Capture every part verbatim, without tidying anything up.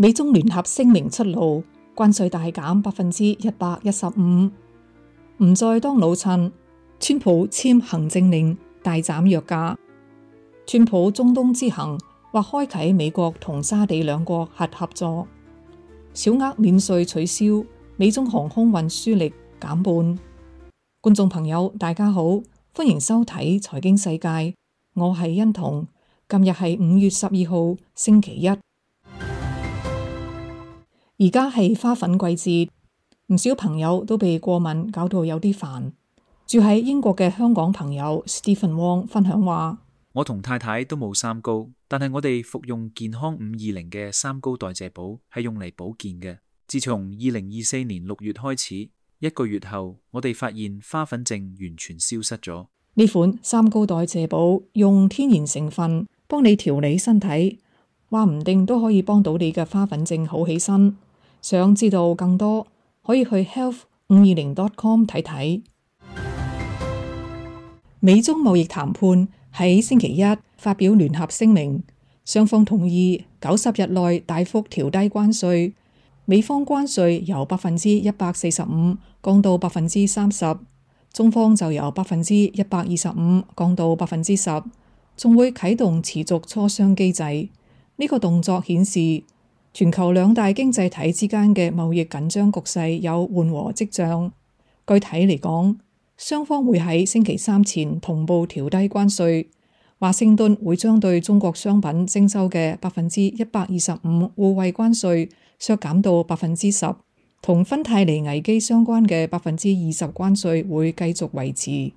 美中聯合聲明出爐，關稅大減百分之一百一十五，唔再當老襯。川普簽行政令大斬藥價。川普中東之行或開啟美國同沙地兩國核合作。小額免稅取消，美中航空運輸力減半。觀眾朋友大家好，歡迎收睇財經世界，我係欣彤。今日係五月十二號星期一。而家係花粉季節，唔少朋友都被過敏搞到有啲煩。住喺英國嘅香港朋友 Stephen Wong 分享話：我同太太都冇三高，但係我哋服用健康五二零嘅三高代謝寶係用嚟保健嘅。自從二零二四年六月開始，一個月後我哋發現花粉症完全消失咗。呢款三高代謝寶用天然成分幫你調理身體，話唔定都可以幫到你嘅花粉症好起身。想知道更多，可以去 health 五二零 dot com 睇睇。美中貿易談判喺星期一發表聯合聲明，雙方同意九十日內大幅調低關稅。美方關稅由百分之一百四十五降到百分之三十，中方就由百分之一百二十五降到百分之十，仲會啟動持續磋商機制。呢、這個動作顯示全球兩大經濟體之間嘅貿易緊張局勢有緩和跡象。具體嚟講，雙方會喺星期三前同步調低關稅。華盛頓會將對中國商品徵收嘅百分之一百二十五互惠關稅削減到百分之十，同芬太尼危機相關嘅百分之二十關稅會繼續維持。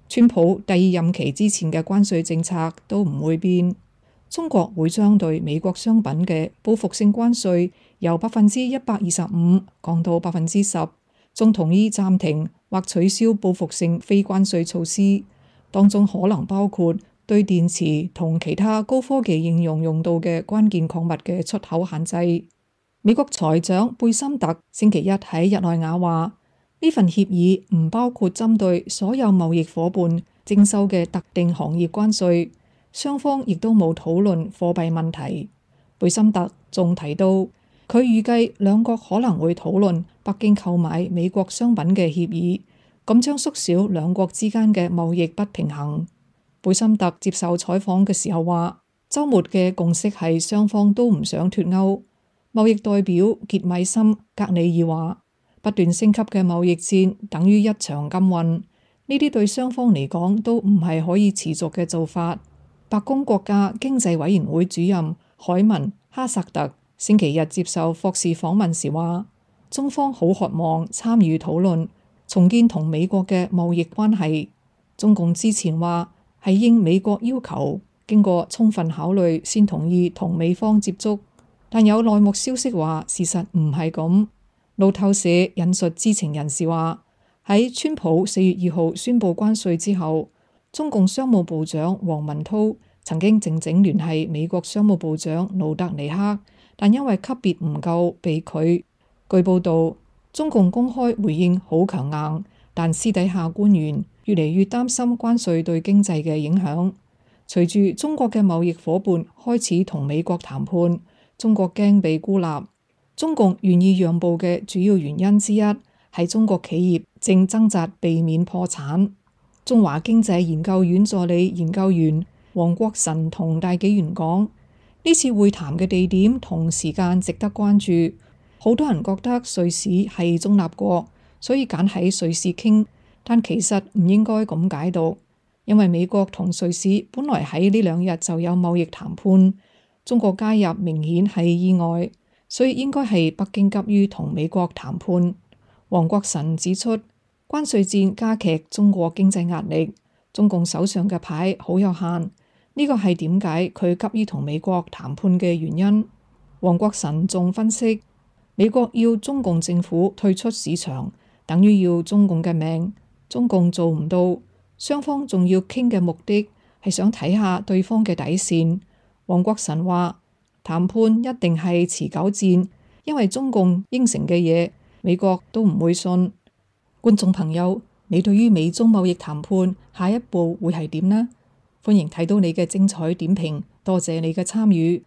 川普第二任期之前嘅關稅政策都唔會變。中國會將對美國商品嘅報復性關稅由百分之一百二十五降到百分之十，仲同意暫停或取消報復性非關稅措施，當中可能包括對電池同其他高科技應用用到嘅關鍵礦物嘅出口限制。美國財長貝森特星期一喺日內瓦話，呢份協議唔包括針對所有貿易夥伴徵收嘅特定行業關稅。雙方亦都冇討論貨幣問題。貝森特仲提到，佢預計兩國可能會討論北京購買美國商品嘅協議，咁將縮小兩國之間嘅貿易不平衡。貝森特接受採訪嘅時候話，週末嘅共識係雙方都唔想脫歐。貿易代表傑米森格里爾話，不斷升級嘅貿易戰等於一場禁運，呢啲對雙方嚟講都唔係可以持續嘅做法。白宮國家經濟委員會主任海文哈薩特星期日接受霍士訪問時話，中方好渴望參與討論重建同美國嘅貿易關係。中共之前話係應美國要求，經過充分考慮先同意同美方接觸，但有內幕消息話事實唔係咁。路透社引述知情人士話，喺川普四月二號宣布關稅之後，中共商務部長王文濤曾經靜靜聯繫美國商務部長盧德尼克，但因為級別唔夠被拒。據報道，中共公開回應好強硬，但私底下官員越嚟越擔心關稅對經濟嘅影響。隨住中國嘅貿易夥伴開始同美國談判，中國驚被孤立。中共願意讓步嘅主要原因之一係中國企業正掙扎避免破產。中華經濟研究院助理研究員黃國臣同大紀元講，呢次會談嘅地點同時間值得關注。好多人覺得瑞士係中立國，所以揀喺瑞士傾，但其實唔應該咁解讀，因為美國同瑞士本來喺呢兩日就有貿易談判，中國加入明顯係意外，所以應該係北京急於同美國談判。黃國臣指出，關稅戰加劇中國經濟壓力，中共手上嘅牌好有限，呢個係點解佢急於同美國談判嘅原因。黃國臣仲分析，美國要中共政府退出市場，等於要中共嘅命，中共做唔到，雙方仲要傾嘅目的係想睇下對方嘅底線。黃國臣話，談判一定係持久戰，因為中共應承嘅嘢，美國都唔會信。觀眾朋友，你對於美中貿易談判下一步會係點呢？歡迎睇到你嘅精彩點評，多謝你嘅參與。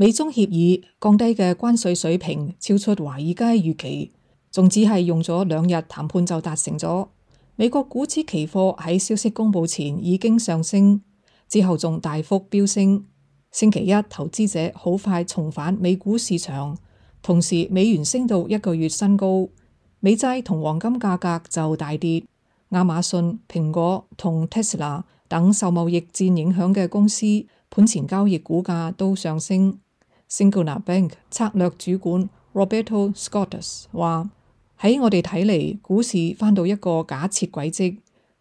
美中協議降低嘅關稅水平超出華爾街預期，仲只係用咗兩日談判就達成咗。美國股指期貨喺消息公佈前已經上升，之後仲大幅飆升。星期一投資者好快重返美股市場，同時美元升到一個月新高，美債同黃金價格就大跌。亞馬遜、蘋果同 Tesla 等受貿易戰影響嘅公司盤前交易股價都上升。Signature Bank 策略主管 Roberto Scottus 話：喺我哋睇嚟，股市返到一個假設軌跡。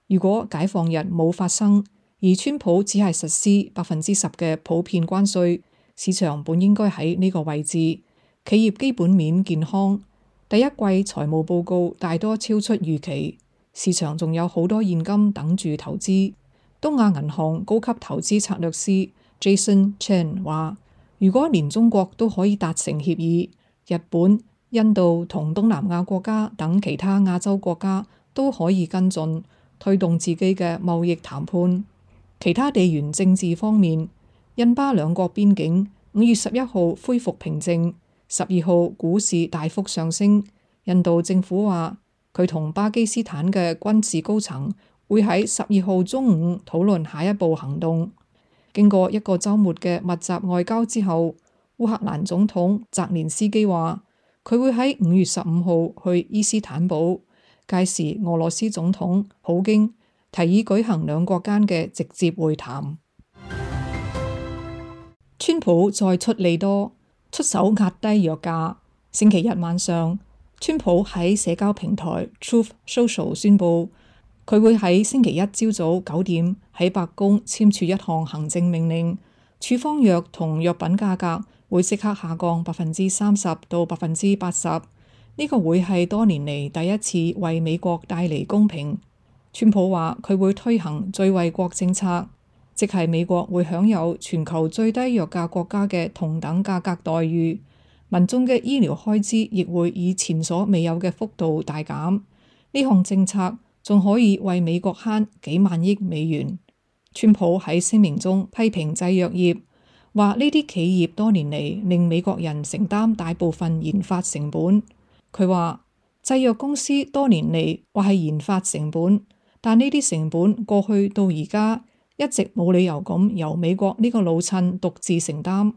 如果解放日冇發生，而川普只係實施百分之十嘅普遍關稅，市場本應該喺呢個位置。企業基本面健康，第一季財務報告大多超出預期，市場仲有好多現金等住投資。東亞銀行高級投資策略師 Jason Chen 話：如果連中國都可以達成協議，日本、印度同東南亞國家等其他亞洲國家都可以跟進，推動自己嘅貿易談判。其他地緣政治方面，印巴兩國邊境五月十一號恢復平靜，十二號股市大幅上升。印度政府話佢同巴基斯坦嘅軍事高層會喺十二號中午討論下一步行動。經過一個週末嘅密集外交之後，烏克蘭總統澤連斯基話佢會喺五月十五號去伊斯坦堡，屆時俄羅斯總統普京提議舉行兩國間嘅直接會談。川普再出利多，出手壓低藥價。星期日晚上，川普喺社交平台 Truth Social 宣布，佢會喺星期一朝早九點喺白宮簽署一項行政命令，處方藥同藥品價格會即刻下降百分之三十到百分之八十。呢個會係多年嚟第一次為美國帶嚟公平。川普話佢會推行最惠國政策，即係美國會享有全球最低藥價國家嘅同等價格待遇，民眾嘅醫療開支亦會以前所未有嘅幅度大減。呢項政策仲可以為美國慳幾萬億美元。川普喺聲明中批評製藥業，話呢啲企業多年嚟令美國人承擔大部分研發成本。佢話製藥公司多年嚟話係研發成本，但呢啲成本過去到而家一直冇理由咁由美國呢個老襯獨自承擔。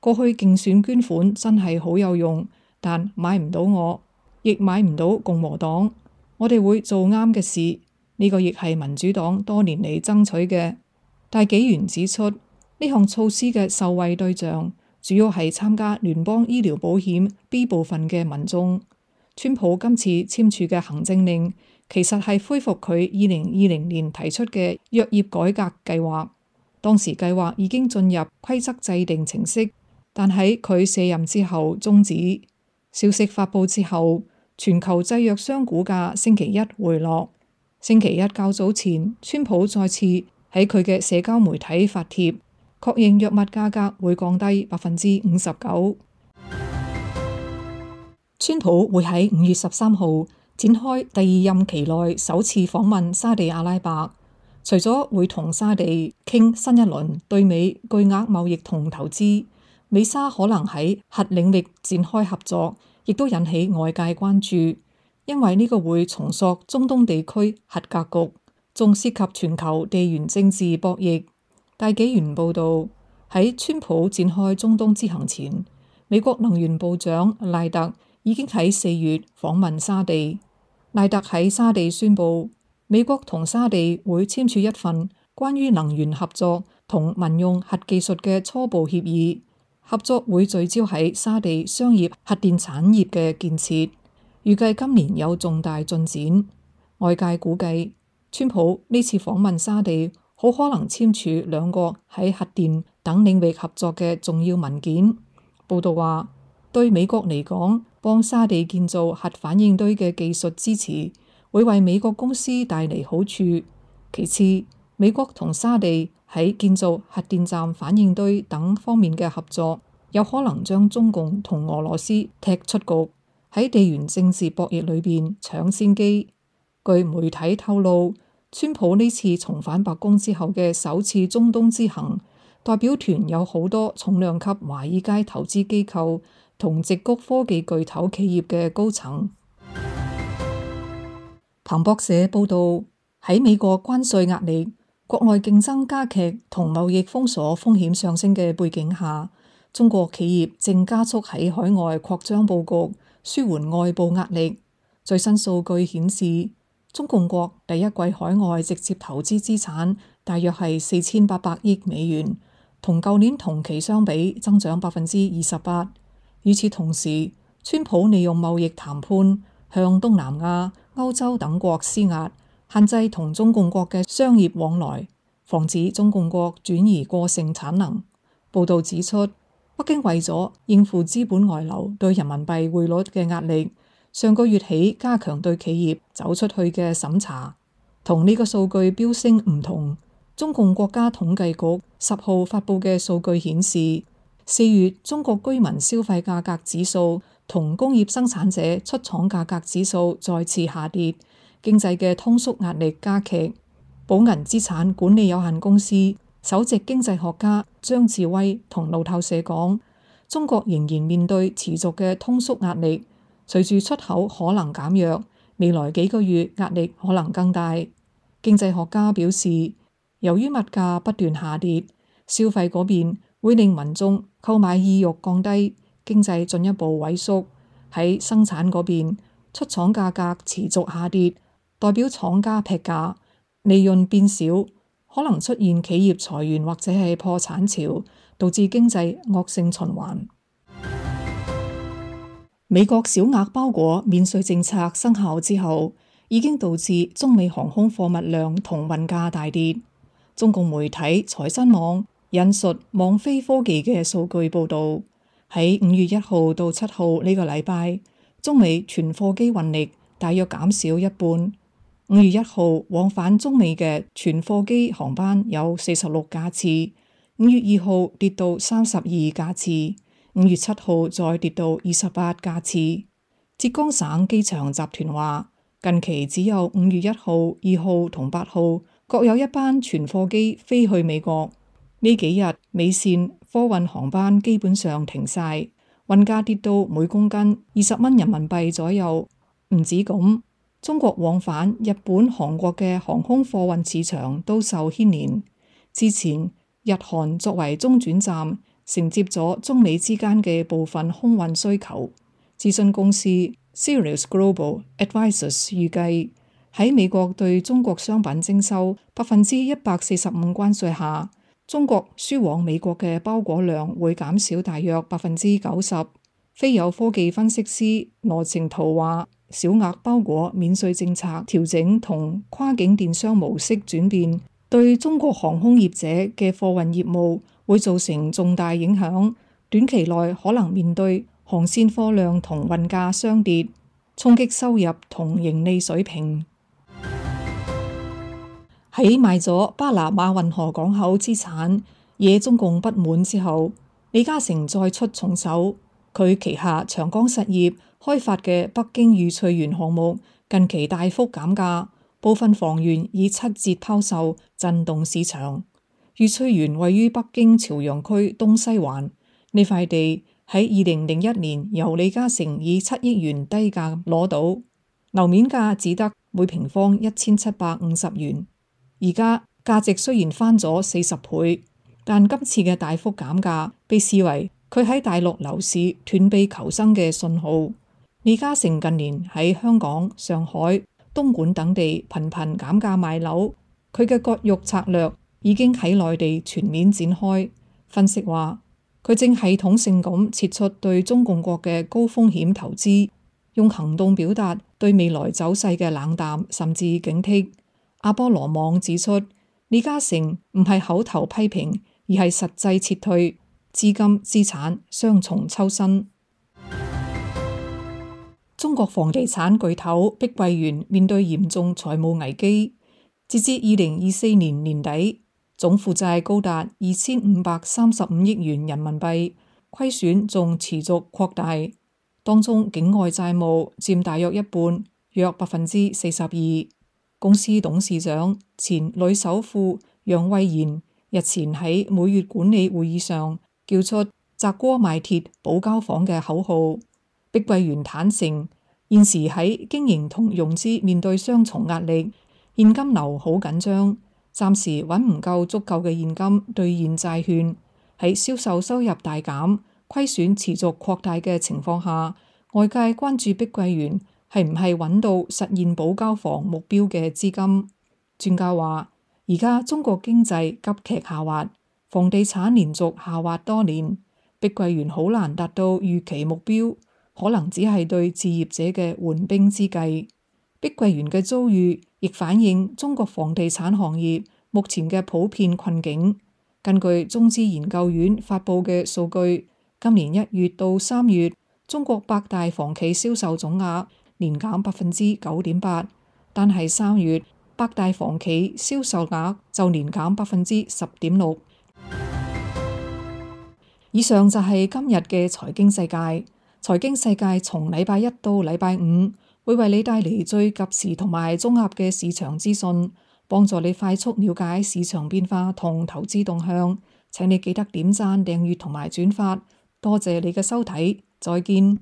過去競選捐款真係好有用，但買唔到我，亦買唔到共和黨。我哋會做啱嘅事，呢個亦係民主黨多年嚟爭取嘅。但紀元指出，呢項措施嘅受惠對象主要係參加聯邦醫療保險 B 部分嘅民眾。川普今次簽署嘅行政令，其實係恢復佢二零二零年提出嘅藥業改革計劃。當時計劃已經進入規則制定程式，但喺佢卸任之後終止。消息發佈之後，全球製藥商股價星期一回落。星期一較早前，川普再次喺佢嘅社交媒體發帖，確認藥物價格會降低百分之五十九。川普會喺五月十三號展開第二任期內首次訪問沙地阿拉伯，除咗會同沙地傾新一輪對美巨額貿易同投資，美沙可能喺核領域展開合作，亦都引起外界關注，因為呢個會重塑中東地區核格局，仲涉及全球地緣政治博弈。大紀元報導，喺川普展開中東之行前，美國能源部長賴特已經喺四月訪問沙地。賴特喺沙地宣布，美國同沙地會簽署一份關於能源合作同民用核技術嘅初步協議，合作會聚焦喺沙地商業核電產業嘅建設，預計今年有重大進展。外界估計，川普呢次訪問沙地，好可能簽署兩個喺核電等領域合作嘅重要文件。報道話，對美國嚟講，幫沙地建造核反應堆嘅技術支持，會為美國公司帶嚟好處。其次，美國同沙地喺建造核電站反應堆等方面嘅合作，有可能將中共同俄羅斯踢出局，喺地緣政治博弈裏邊搶先機。據媒體透露，川普呢次重返白宮之後嘅首次中東之行，代表團有好多重量級華爾街投資機構同矽谷科技巨頭企業嘅高層。彭博社報道，喺美國關稅壓力、國內競爭加劇同貿易封鎖風險上升嘅背景下，中國企業正加速喺海外擴張佈局，舒緩外部壓力。最新數據顯示，中共國第一季海外直接投資資產大約係四千八百億美元，同舊年同期相比增長百分之二十八。與此同時，川普利用貿易談判向東南亞、歐洲等國施壓，限制同中共國嘅商業往來，防止中共國轉移過剩產能。報導指出，北京為咗應付資本外流對人民幣匯率嘅壓力，上個月起加強對企業走出去嘅審查。同呢個數據飆升唔同，中共國家統計局十號發佈嘅數據顯示，四月中國居民消費價格指數同工業生產者出廠價格指數再次下跌，經濟嘅通縮壓力加劇。寶銀資產管理有限公司首席經濟學家張志威同路透社講，中國仍然面對持續嘅通縮壓力，隨住出口可能減弱，未來幾個月壓力可能更大。經濟學家表示，由於物價不斷下跌，消費嗰邊會令民眾購買意欲降低，經濟進一步萎縮。喺生產嗰邊，出廠價格持續下跌，代表廠家劈價，利潤變少，可能出現企業裁員或者係破產潮，導致經濟惡性循環。美國小額包裹免稅政策生效之後，已經導致中美航空貨物量同運價大跌。中共媒體財新網引述網飛科技嘅數據報導，喺五月一號到七號呢個禮拜，中美全貨機運力大約減少一半。五月一號往返中美嘅全貨機航班有四十六架次，五月二號跌到三十二架次，五月七號再跌到二十八架次。浙江省機場集團話，近期只有五月一號、二號同八號各有一班全貨機飛去美國。呢幾日美線貨運航班基本上停晒，運價跌到每公斤二十蚊人民幣左右。唔止咁，中國往返日本、韓國嘅航空貨運市場都受牽連。之前日韓作為中轉站，承接咗中美之間嘅部分空運需求。諮詢公司 Sirius Global Advisors 預計，喺美國對中國商品徵收百分之一百四十五關稅下，中國輸往美國嘅包裹量會減少大約百分之九十。飛友科技分析師羅晴圖話，小額包裹免稅政策調整同跨境電商模式轉變，對中國航空業者嘅貨運業務會造成重大影響，短期內可能面對航線貨量同運價雙跌，衝擊收入同盈利水平。喺賣咗巴拿馬運河港口資產惹中共不滿之後，李嘉誠再出重手，佢旗下長江實業開發嘅北京御翠園項目近期大幅減價，部分房源以七折拋售，震動市場。御翠園位於北京朝陽區東西環，呢塊地喺二零零一年由李嘉誠以七億元低價攞到，樓面價只得每平方一千七百五十元。而家價值雖然翻咗四十倍，但今次嘅大幅減價被視為佢喺大陸樓市斷臂求生嘅信號。李嘉誠近年喺香港、上海、東莞等地頻頻減價賣樓，佢嘅割肉策略已經喺內地全面展開。分析話，佢正系統性咁撤出對中共國嘅高風險投資，用行動表達對未來走勢嘅冷淡甚至警惕。阿波羅網指出，李嘉誠唔係口頭批評，而係實際撤退，資金資產雙重抽身。中國房地產巨頭碧桂園面對嚴重財務危機，截至二零二四年年底，總負債高達二千五百三十五億元人民幣，虧損仲持續擴大，當中境外債務佔大約一半，約百分之四十二。公司董事長前女首富楊惠妍日前喺每月管理會議上叫出砸鍋賣鐵保交房嘅口號。碧桂園坦承，現時喺經營同融資面對雙重壓力，現金流好緊張，暫時揾唔夠足夠嘅現金兌現債券。喺銷售收入大減、虧損持續擴大嘅情況下，外界關注碧桂園係唔係揾到實現保交房目標嘅資金。專家話，而家中國經濟急劇下滑，房地產連續下滑多年，碧桂園好難達到預期目標，可能只係對置業者嘅緩兵之計。碧桂園嘅遭遇亦反映中國房地產行業目前嘅普遍困境。根據中資研究院發佈嘅數據，今年一月到三月，中國百大房企銷售總額年減百分之九點八，但係三月百大房企銷售額就年減百分之十點六。以上就係今日嘅財經世界。財經世界從禮拜一到禮拜五會為你帶嚟最及時同埋綜合嘅市場資訊，幫助你快速了解市場變化同投資動向。請你記得點讚、訂閱同埋轉發。多謝你嘅收睇，再見。